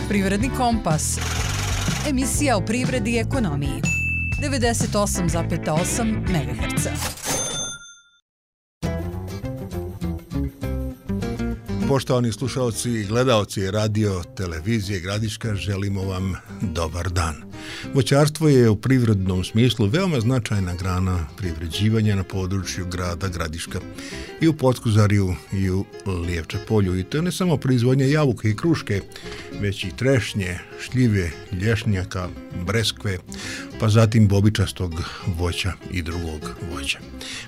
Privredni kompas. Emisija o privredi i ekonomiji. 98,8 MHz. Poštovani slušalci i gledaoci radio televizije Gradiška, želimo vam dobar dan. Voćarstvo je u privrednom smislu veoma značajna grana privređivanja na području grada Gradiška i u Potkozarju i u Lijevče polju. I to ne samo proizvodnja jabuke i kruške, već i trešnje, šljive, lješnjaka, breskve, pa zatim bobičastog voća i drugog voća.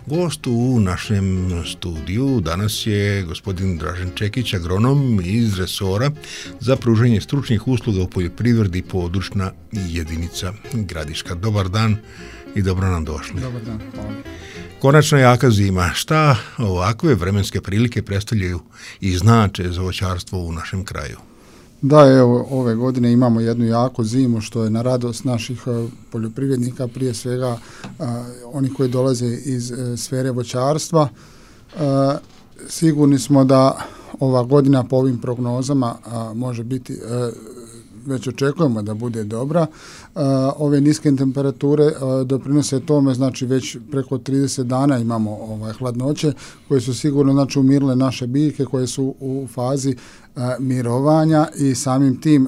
Gost u našem studiju danas je gospodin Dražen Čekić, agronom iz resora za pružanje stručnih usluga u poljoprivredi, područna jedinica Gradiška. Dobar dan i dobro nam došli. Dobar dan, hvala. Konačno jaka zima. Šta ovakve vremenske prilike predstavljaju i znače za voćarstvo u našem kraju? Da, evo, ove godine imamo jednu jaku zimu, što je na radost naših poljoprivrednika, prije svega oni koji dolaze iz sfere voćarstva. Sigurni smo da ova godina po ovim prognozama može biti, već očekujemo da bude dobra. Ove niske temperature doprinose tome, znači već preko 30 dana imamo hladnoće koje su sigurno znači umirile naše biljke koje su u fazi mirovanja i samim tim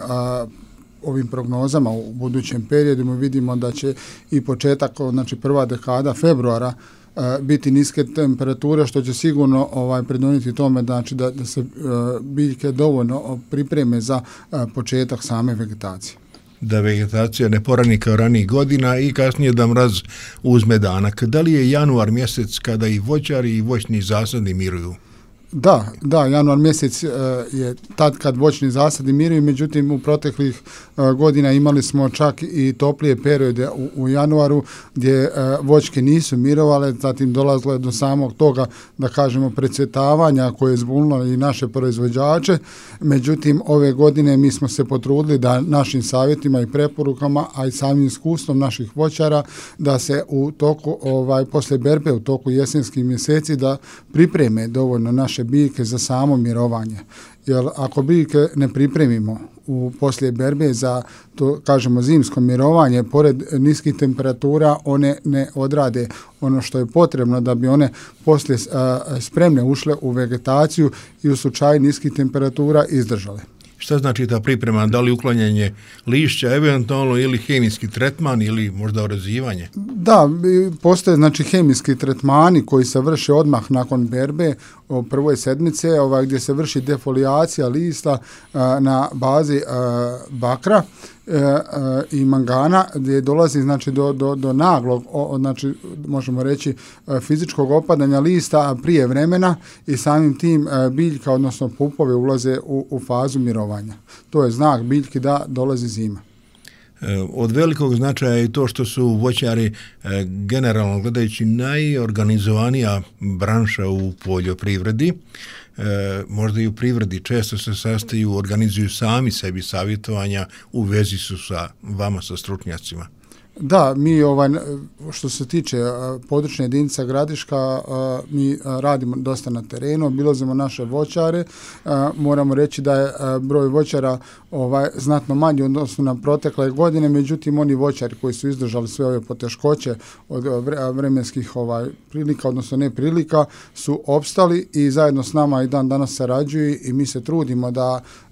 ovim prognozama u budućem periodu mi vidimo da će i početak, znači prva dekada februara biti niske temperature, što će sigurno pridonijeti tome znači da se biljke dovoljno pripreme za početak same vegetacije. Da vegetacija ne porani kao ranijih godina i kasnije da mraz uzme danak. Da li je januar mjesec kada i voćari i voćni zasadi miruju? Da, januar mjesec je tad kad voćni zasadi miruju, međutim u proteklih godina imali smo čak i toplije periode u januaru gdje voćke nisu mirovale, zatim dolazilo je do samog toga, da kažemo, precvjetavanja koje je zbunilo i naše proizvođače. Međutim, ove godine mi smo se potrudili da našim savjetima i preporukama, a i samim iskustvom naših voćara, da se u toku, poslije berbe, u toku jesenskih mjeseci, da pripreme dovoljno naše biljke za samo mirovanje. Jer ako biljke ne pripremimo poslije berbe za to, kažemo, zimsko mirovanje, pored niskih temperatura one ne odrade ono što je potrebno da bi one poslije spremne ušle u vegetaciju i u slučaju niskih temperatura izdržale. Šta znači ta priprema? Da li uklanjanje lišća, eventualno, ili hemijski tretman ili možda orezivanje? Da, postoje znači hemijski tretmani koji se vrše odmah nakon berbe u prvoj sedmice, gdje se vrši defolijacija lista na bazi bakra i mangana, gdje dolazi znači do naglog, znači možemo reći fizičkog opadanja lista prije vremena i samim tim biljka, odnosno pupove, ulaze u fazu mirovanja. To je znak biljki da dolazi zima. Od velikog značaja je to što su voćari generalno gledajući najorganizovanija branša u poljoprivredi. Možda i u privredi često se sastaju, organizuju sami sebi savjetovanja, u vezi su sa vama, sa stručnjacima. Da, mi što se tiče područne jedinice Gradiška, mi radimo dosta na terenu, obilazimo naše voćare. Moramo reći da je broj voćara znatno manji odnosno na protekle godine, međutim oni voćari koji su izdržali sve ove poteškoće od vremenskih prilika, odnosno neprilika, su opstali i zajedno s nama i dan danas sarađuju i mi se trudimo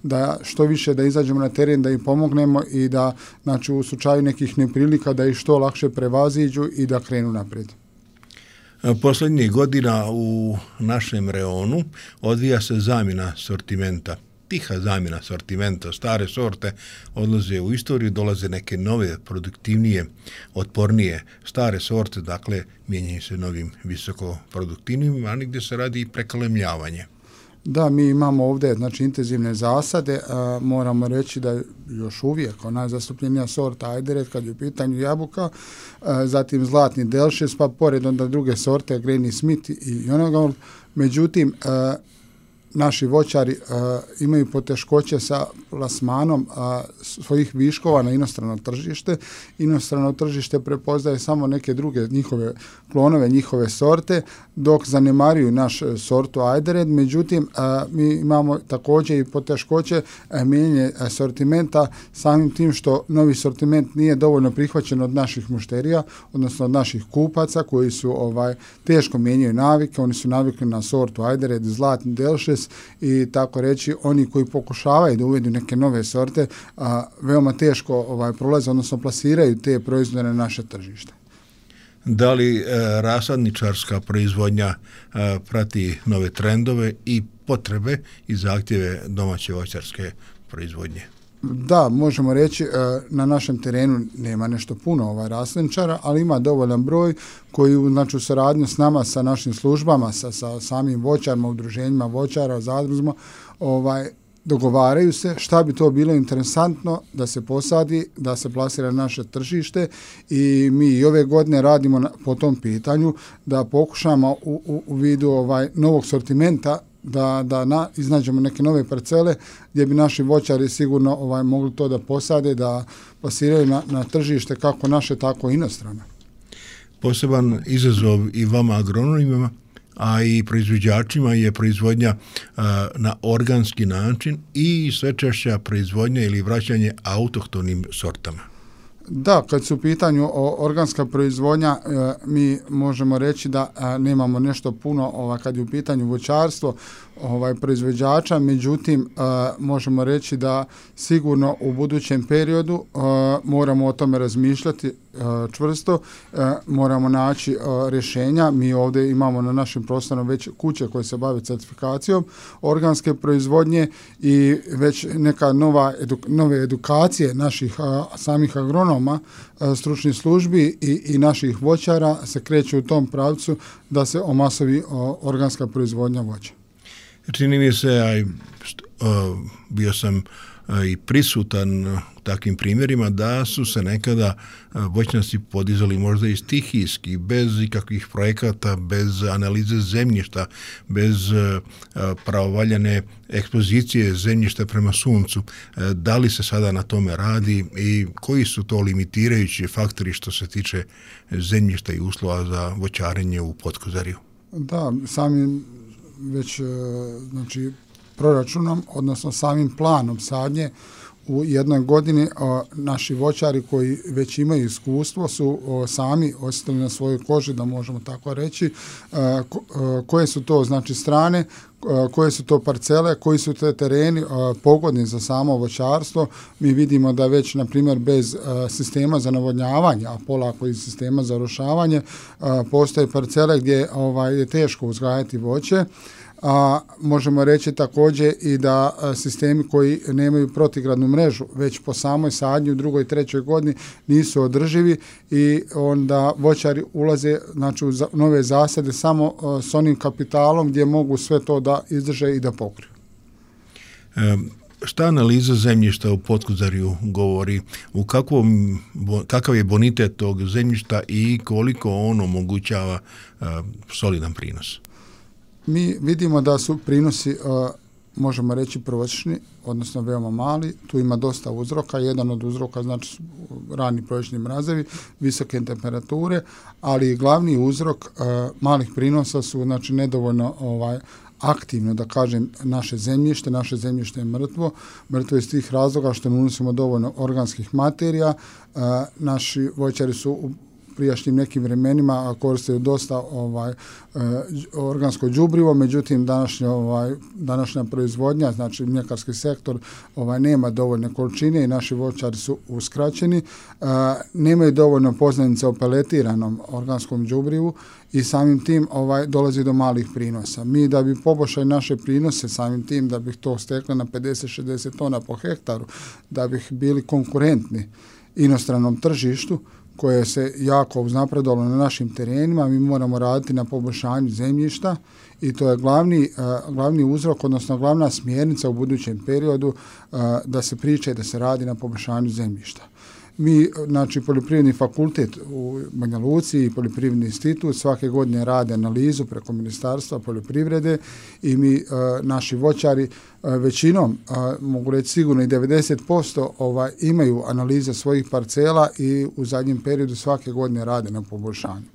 da što više da izađemo na teren, da im pomognemo i da, znači, u slučaju nekih neprilika da ih što lakše prevaziđu i da krenu naprijed. Posljednjih godina u našem reonu odvija se zamjena sortimenta, tiha zamjena sortimenta. Stare sorte odlaze u istoriju, dolaze neke nove, produktivnije, otpornije. Stare sorte, dakle, mijenjaju se novim visokoproduktivnim, a gdje se radi i prekalemljavanje. Da, mi imamo ovdje znači intenzivne zasade, moramo reći da je još uvijek najzastupljenija sorta Ajderet kad je u pitanju jabuka, zatim Zlatni Delšes, pa pored onda druge sorte Granny Smith i Jonagold. Međutim, naši voćari imaju poteškoće sa plasmanom svojih viškova na inostrano tržište. Inostrano tržište prepoznaje samo neke druge njihove klonove, njihove sorte, dok zanemaruju naš sortu Ajdered. Međutim, mi imamo također i poteškoće mijenjanja sortimenta samim tim što novi sortiment nije dovoljno prihvaćen od naših mušterija, odnosno od naših kupaca koji su teško mijenjaju navike. Oni su navikli na sortu Ajdered, zlatni delšes i tako reći oni koji pokušavaju da uvedu neke nove sorte veoma teško prolaze, odnosno plasiraju te proizvode na naše tržište. Da li rasadničarska proizvodnja prati nove trendove i potrebe i zahtjeve domaće voćarske proizvodnje? Da, možemo reći na našem terenu nema nešto puno rasadničara, ali ima dovoljan broj koji u saradnju s nama, sa našim službama, sa samim voćarima, udruženjima voćara, zadruzima, dogovaraju se šta bi to bilo interesantno da se posadi, da se plasira na naše tržište i mi i ove godine radimo po tom pitanju da pokušamo u vidu novog sortimenta da iznađemo neke nove parcele gdje bi naši voćari sigurno mogli to da posade, da plasiraju na tržište kako naše, tako i inostrano. Poseban izazov i vama agronomima, a i proizvođačima je proizvodnja na organski način i sve češća proizvodnja ili vraćanje autohtonim sortama. Da, kad su u pitanju organska proizvodnja, mi možemo reći da nemamo nešto puno kad je u pitanju voćarstvo proizvođača, međutim možemo reći da sigurno u budućem periodu moramo o tome razmišljati čvrsto, moramo naći rješenja. Mi ovdje imamo na našem prostoru već kuće koje se bave certifikacijom organske proizvodnje i već neka nove edukacije naših samih agronoma, stručnih službi i naših voćara se kreću u tom pravcu da se omasovi organska proizvodnja voća. Čini mi se, bio sam i prisutan u takvim primjerima da su se nekada voćnjaci podizali možda i stihijski, bez ikakvih projekata, bez analize zemljišta, bez pravovaljane ekspozicije zemljišta prema suncu. Da li se sada na tome radi i koji su to limitirajući faktori što se tiče zemljišta i uslova za voćarenje u Potkozariju? Da, samim već proračunom, odnosno samim planom sadnje u jednoj godini naši voćari koji već imaju iskustvo su sami osjetili na svojoj koži, da možemo tako reći, koje su to strane, koje su to parcele, koji su te tereni pogodni za samo voćarstvo. Mi vidimo da već, na primjer, bez sistema za navodnjavanje, a polako i sistema za rošavanje, postoje parcele gdje je teško uzgajati voće. Možemo reći također i da sistemi koji nemaju protigradnu mrežu već po samoj sadnji u drugoj i trećoj godini nisu održivi i onda voćari ulaze u nove zasade samo s onim kapitalom gdje mogu sve to da izdrže i da pokriju. Šta analiza zemljišta u Potkozariju govori? Kakav je bonitet tog zemljišta i koliko on omogućava solidan prinos? Mi vidimo da su prinosi, možemo reći, prosječni, odnosno veoma mali. Tu ima dosta uzroka. Jedan od uzroka su rani proljećni mrazevi, visoke temperature, ali glavni uzrok malih prinosa su nedovoljno aktivno, da kažem, naše zemljište. Naše zemljište je mrtvo. Mrtvo je iz tih razloga što ne unosimo dovoljno organskih materija. Naši voćari su u prijašnjim nekim vremenima koristili dosta organsko đubrivo, međutim današnja proizvodnja, mljekarski sektor nema dovoljne količine i naši voćari su uskraćeni, nemaju dovoljno poznanica o peletiranom organskom đubrivu i samim tim dolazi do malih prinosa. Mi da bi poboljšali naše prinose, samim tim da bi to stekli na 50-60 tona po hektaru, da bi bili konkurentni inostranom tržištu, koje se jako uznapredovalo na našim terenima, mi moramo raditi na poboljšanju zemljišta i to je glavni uzrok, odnosno glavna smjernica u budućem periodu da se priča i da se radi na poboljšanju zemljišta. Mi, znači poljoprivredni fakultet u Banja Luci i poljoprivredni institut svake godine rade analizu preko Ministarstva poljoprivrede i mi, naši voćari, većinom, mogu reći sigurno i 90% imaju analize svojih parcela i u zadnjem periodu svake godine rade na poboljšanju.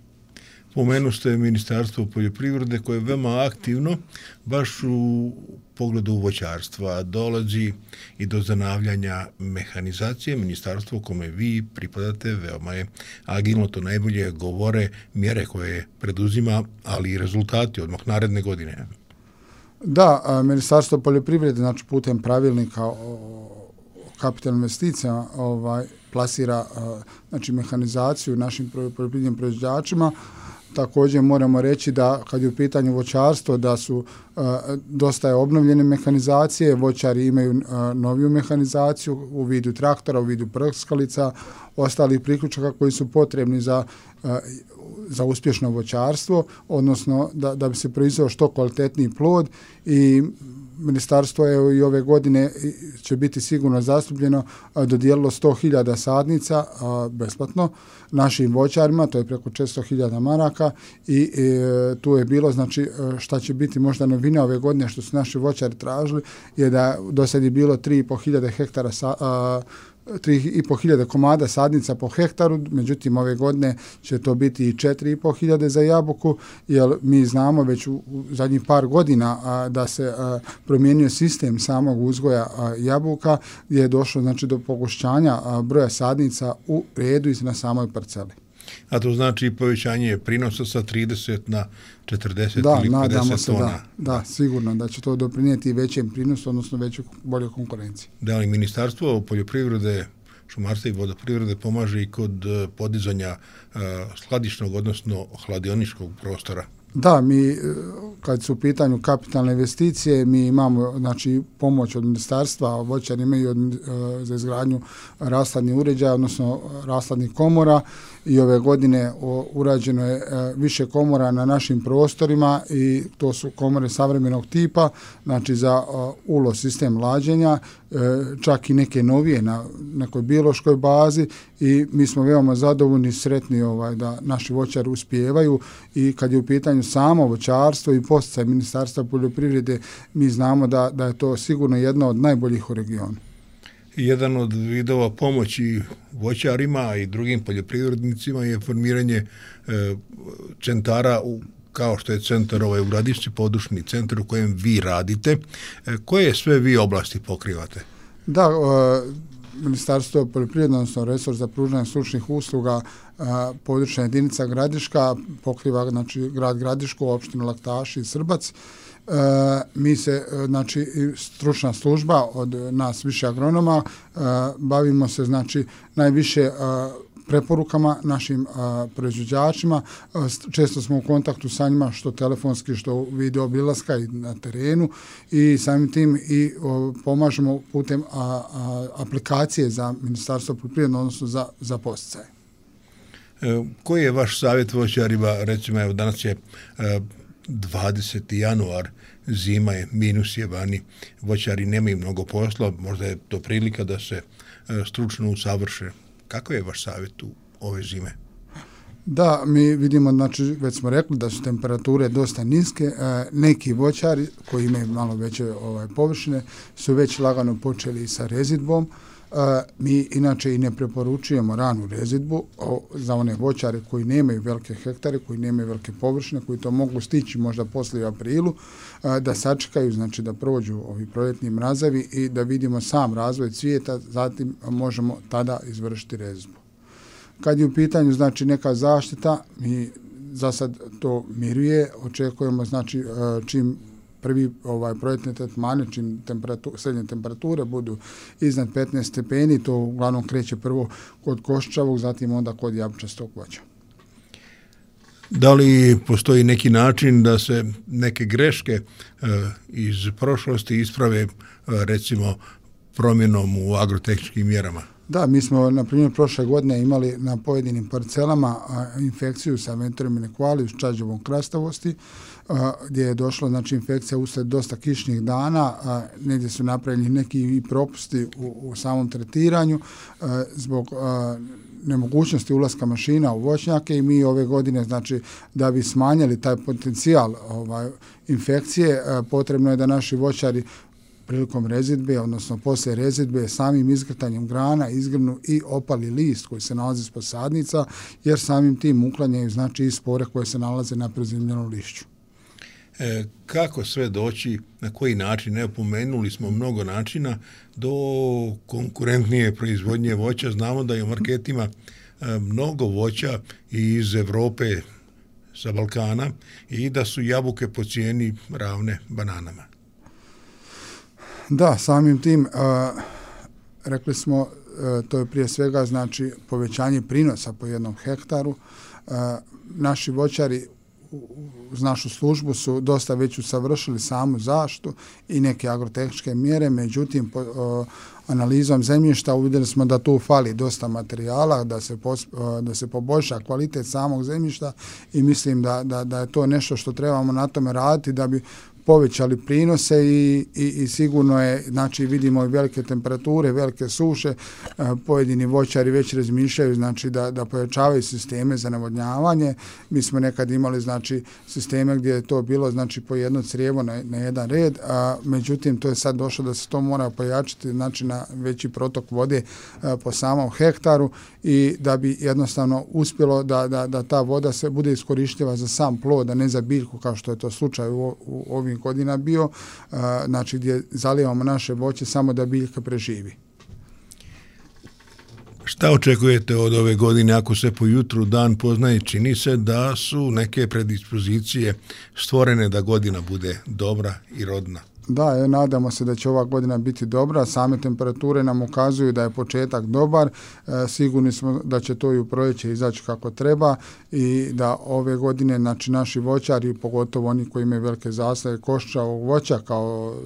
Pomenu ste Ministarstvo poljoprivrede koje je veoma aktivno baš u pogledu voćarstva. Dolazi i do zanavljanja mehanizacije. Ministarstvo kome vi pripadate veoma je agilno, to najbolje govore mjere koje preduzima, ali i rezultati odmah naredne godine. Da, Ministarstvo poljoprivrede, znači putem pravilnika o kapitalnim investicijama plasira znači mehanizaciju našim poljoprivrednim proizvođačima. Također moramo reći da kad je u pitanju voćarstvo da su dosta je obnovljene mehanizacije, voćari imaju noviju mehanizaciju u vidu traktora, u vidu prskalica, ostalih priključaka koji su potrebni za uspješno voćarstvo, odnosno da bi se proizveo što kvalitetniji plod i Ministarstvo je i ove godine će biti sigurno zastupljeno, dodijelilo 100.000 sadnica besplatno našim voćarima, to je preko 400.000 maraka i tu je bilo, znači šta će biti možda novina ove godine što su naši voćari tražili je da do sad je bilo 3.500 hektara 3.500 komada sadnica po hektaru, međutim ove godine će to biti i 4.500 za jabuku, jer mi znamo već u zadnjih par godina da se promijenio sistem samog uzgoja jabuka gdje je došlo znači do pogošćanja broja sadnica u redu i na samoj parceli. A to znači povećanje prinosa sa 30 na 40 ili 50 tona. Da, sigurno da će to doprinijeti većem prinosu, odnosno većoj boljoj konkurenciji. Da li Ministarstvo poljoprivrede, šumarstva i vodoprivrede pomaže i kod podizanja skladišnog, odnosno hladioničkog prostora? Da, mi kad su u pitanju kapitalne investicije, mi imamo znači pomoć od ministarstva, voćari imaju za izgradnju rashladnih uređaja, odnosno rashladnih komora i ove godine urađeno je više komora na našim prostorima i to su komore savremenog tipa, znači za ULO sistem lađenja, čak i neke novije na nekoj biološkoj bazi i mi smo veoma zadovoljni i sretni da naši voćari uspijevaju i kad je u pitanju samo voćarstvo i podsticaj Ministarstva poljoprivrede, mi znamo da je to sigurno jedno od najboljih u regionu. Jedan od vidova pomoći voćarima i drugim poljoprivrednicima je formiranje centara kao što je centar u Gradišci, područni centar u kojem vi radite. Koje sve vi oblasti pokrivate? Da, Ministarstvo poljoprivrede, odnosno resor za pružanje stručnih usluga, područna jedinica Gradiška pokriva znači grad Gradišku, opštinu Laktaši i Srbac. Mi se, znači, stručna služba od nas više agronoma, bavimo se, znači, najviše preporukama našim proizvođačima. Često smo u kontaktu sa njima, što telefonski, što video obilaska i na terenu i samim tim i pomažemo putem aplikacije za Ministarstvo poljoprivrede, odnosno za podsticaje. Koji je vaš savjet voćarima? Recimo, evo danas je 20. januar, zima je, minus je vani, voćari nemaju mnogo posla, možda je to prilika da se stručno usavrše. Kako je vaš savjet u ove zime? Da, mi vidimo, znači već smo rekli da su temperature dosta niske, neki voćari koji imaju malo veće površine su već lagano počeli sa rezidbom. Mi inače i ne preporučujemo ranu rezidbu za one voćare koji nemaju velike hektare, koji nemaju velike površine, koji to mogu stići možda poslije u aprilu, da sačekaju, znači da prođu ovi proljetni mrazevi i da vidimo sam razvoj cvijeta, zatim možemo tada izvršiti rezidbu. Kad je u pitanju znači neka zaštita, mi za sad to miruje, očekujemo znači čim prvi proljetne tretmane, čim srednje temperature budu iznad 15 stepeni, to uglavnom kreće prvo kod koščavog, zatim onda kod jabučastog voća. Da li postoji neki način da se neke greške iz prošlosti isprave, recimo promjenom u agrotehničkim mjerama? Da, mi smo, na primjer, prošle godine imali na pojedinim parcelama infekciju sa Venturium equalis, čađevom krastavosti, gdje je došla, znači, infekcija usled dosta kišnih dana, negdje su napravljeni neki i propusti u samom tretiranju zbog nemogućnosti ulaska mašina u voćnjake i mi ove godine, znači, da bi smanjili taj potencijal infekcije, potrebno je da naši voćari prilikom rezidbe, odnosno poslije rezidbe, samim izgrtanjem grana izgrnu i opali list koji se nalazi ispod sadnica, jer samim tim uklanjaju, znači, i spore koje se nalaze na prezimljenom lišću. Kako sve doći, na koji način? Evo, pomenuli smo mnogo načina do konkurentnije proizvodnje voća. Znamo da je u marketima mnogo voća iz Europe, sa Balkana, i da su jabuke po cijeni ravne bananama. Da, samim tim, rekli smo, to je prije svega, znači, povećanje prinosa po jednom hektaru. Naši voćari uz našu službu su dosta već usavršili samu zaštitu i neke agrotehničke mjere, međutim, analizom zemljišta uvidjeli smo da tu fali dosta materijala, da se poboljša kvalitet samog zemljišta i mislim da je to nešto što trebamo na tome raditi da bi povećali prinose i sigurno je, znači, vidimo i velike temperature, velike suše, pojedini voćari već razmišljaju, znači, da pojačavaju sisteme za navodnjavanje. Mi smo nekad imali, znači, sisteme gdje je to bilo, znači, po jedno crijevo na jedan red, međutim, to je sad došlo da se to mora pojačati, znači, na veći protok vode po samom hektaru i da bi jednostavno uspjelo da ta voda se bude iskorištiva za sam plod, a ne za biljku, kao što je to slučaj u ovim godina bio, znači, gdje zalijevamo naše voće samo da biljka preživi. Šta očekujete od ove godine ako se po jutru dan poznaje? Čini se da su neke predispozicije stvorene da godina bude dobra i rodna. Da, nadamo se da će ova godina biti dobra, same temperature nam ukazuju da je početak dobar, sigurni smo da će to i u proljeće izaći kako treba i da ove godine, znači, naši voćari, pogotovo oni koji imaju velike zasade koščavog voća kao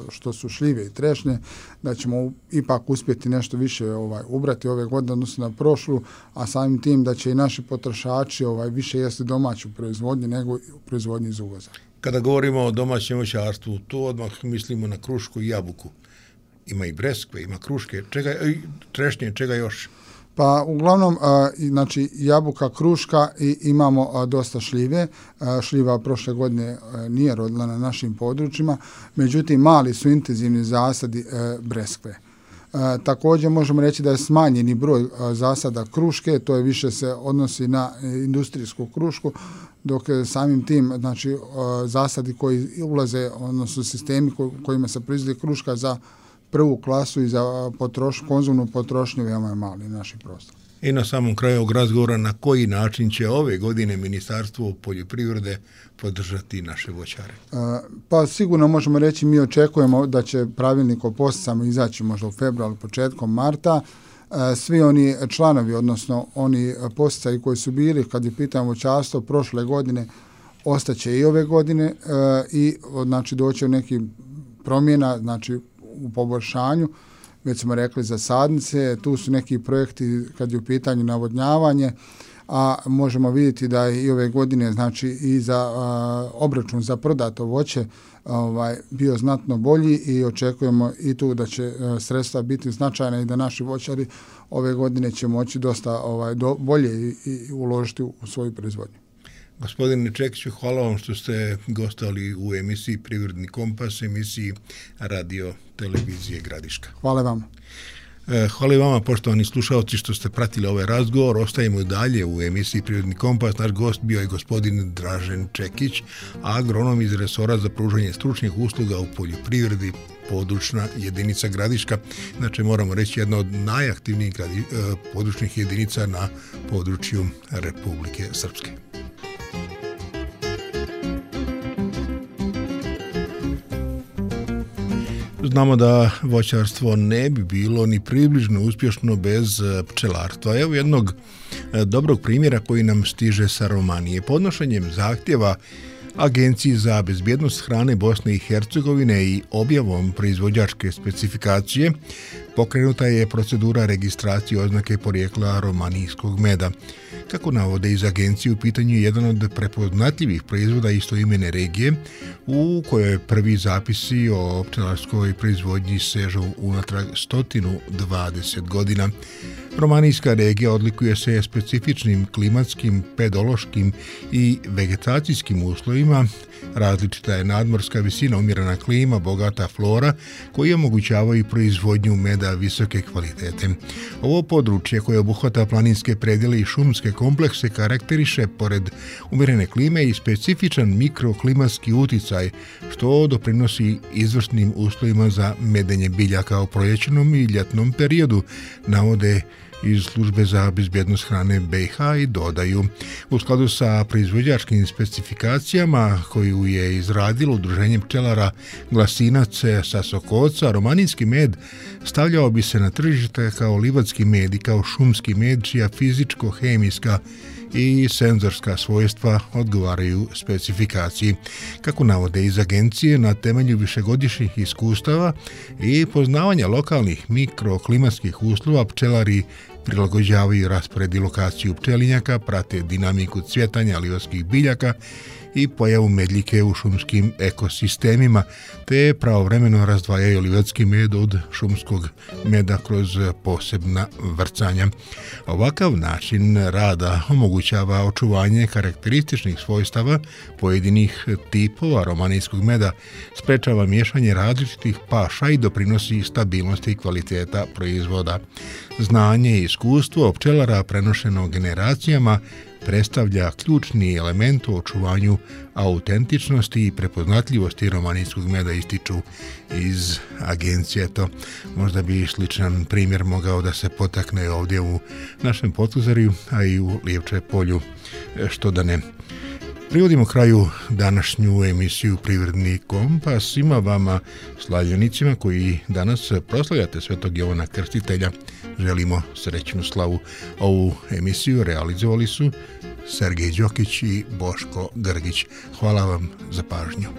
što su šljive i trešnje, da ćemo ipak uspjeti nešto više ubrati ove godine odnosno na prošlu, a samim tim da će i naši potrošači više jesti domaću proizvodnju nego proizvodnju iz uvoza. Kada govorimo o domaćem voćarstvu, to odmah mislimo na krušku i jabuku. Ima i breskve, ima kruške, trešnje, čega još? Pa uglavnom, znači, jabuka, kruška i imamo dosta šljive. Šljiva prošle godine nije rodila na našim područjima, međutim, mali su intenzivni zasadi breskve. Također možemo reći da je smanjeni broj zasada kruške, to je više se odnosi na industrijsku krušku, dok samim tim, znači, zasadi koji ulaze, odnosno sistemi kojima se proizvodi kruška za prvu klasu i za konzumnu potrošnju, veoma je mali naši prostor. I na samom kraju ovog razgovora, na koji način će ove godine Ministarstvo poljoprivrede podržati naše voćare? Pa sigurno možemo reći, mi očekujemo da će pravilnik o posticajima izaći možda u februaru, početkom marta. Svi oni članovi, odnosno oni posticaji koji su bili, kad je pitanje voćarstvo, prošle godine, ostaće i ove godine i, znači, doće u neki promjena, znači, u poboljšanju. Već smo rekli za sadnice, tu su neki projekti kad je u pitanju navodnjavanje, a možemo vidjeti da je i ove godine, znači, i za obračun za prodato voće bio znatno bolji i očekujemo i tu da će sredstva biti značajna i da naši voćari ove godine će moći dosta bolje i uložiti u svoju proizvodnju. Gospodine Čekiću, hvala vam što ste gostovali u emisiji Privredni kompas, emisiji Radio Televizije Gradiška. Hvala vam. Hvala i vama, poštovani slušalci, što ste pratili ovaj razgovor. Ostajemo i dalje u emisiji Privredni kompas. Naš gost bio je gospodin Dražen Čekić, agronom iz resora za pružanje stručnih usluga u poljoprivredi, područna jedinica Gradiška. Znači, moramo reći, jedna od najaktivnijih područnih jedinica na području Republike Srpske. Znamo da voćarstvo ne bi bilo ni približno uspješno bez pčelarstva. Evo jednog dobrog primjera koji nam stiže sa Romanije. Podnošenjem zahtjeva Agenciji za bezbjednost hrane Bosne i Hercegovine i objavom proizvođačke specifikacije pokrenuta je procedura registracije oznake porijekla romanijskog meda. Kako navode iz agencije, u pitanju je jedan od prepoznatljivih proizvoda istoimene regije u kojoj prvi zapisi o pčelarskoj proizvodnji sežu unatrag 120 godina. Romanijska regija odlikuje se specifičnim klimatskim, pedološkim i vegetacijskim uslovima. Različita je nadmorska visina, umjerena klima, bogata flora koji omogućavaju proizvodnju meda visoke kvalitete. Ovo područje koje obuhvata planinske predjele i šumske komplekse karakteriše pored umjerene klime i specifičan mikroklimatski uticaj što doprinosi izvrsnim uslovima za medenje biljaka u proljećnom i ljetnom periodu, navode iz službe za bezbjednost hrane BiH i dodaju. U skladu sa proizvođačkim specifikacijama koju je izradilo udruženje pčelara Glasinac sa Sokoca, romanijski med stavljao bi se na tržište kao livadski med i kao šumski med čija fizičko-hemijska i senzorska svojstva odgovaraju specifikaciji. Kako navode iz agencije, na temelju višegodišnjih iskustava i poznavanja lokalnih mikroklimatskih uslova pčelari prilagođavaju raspored i lokaciju pčelinjaka, prate dinamiku cvjetanja livadskih biljaka i pojavu medljike u šumskim ekosistemima, te pravovremeno razdvajaju livadski med od šumskog meda kroz posebna vrcanja. Ovakav način rada omogućava očuvanje karakterističnih svojstava pojedinih tipova romanijskog meda, sprečava miješanje različitih paša i doprinosi stabilnosti i kvaliteta proizvoda. Znanje i iskustvo pčelara prenošeno generacijama predstavlja ključni element u očuvanju autentičnosti i prepoznatljivosti romanijskog meda, ističu iz agencije. To možda bi sličan primjer mogao da se potakne ovdje u našem Potkozorju, a i u Lijevče polju, što da ne. Privodimo kraju današnju emisiju Privredni kompas. Svima vama slavljenicima koji danas proslavljate Svetog Jovana Krstitelja želimo srećnu slavu. Ovu emisiju realizovali su Sergej Đokić i Boško Grgić. Hvala vam za pažnju.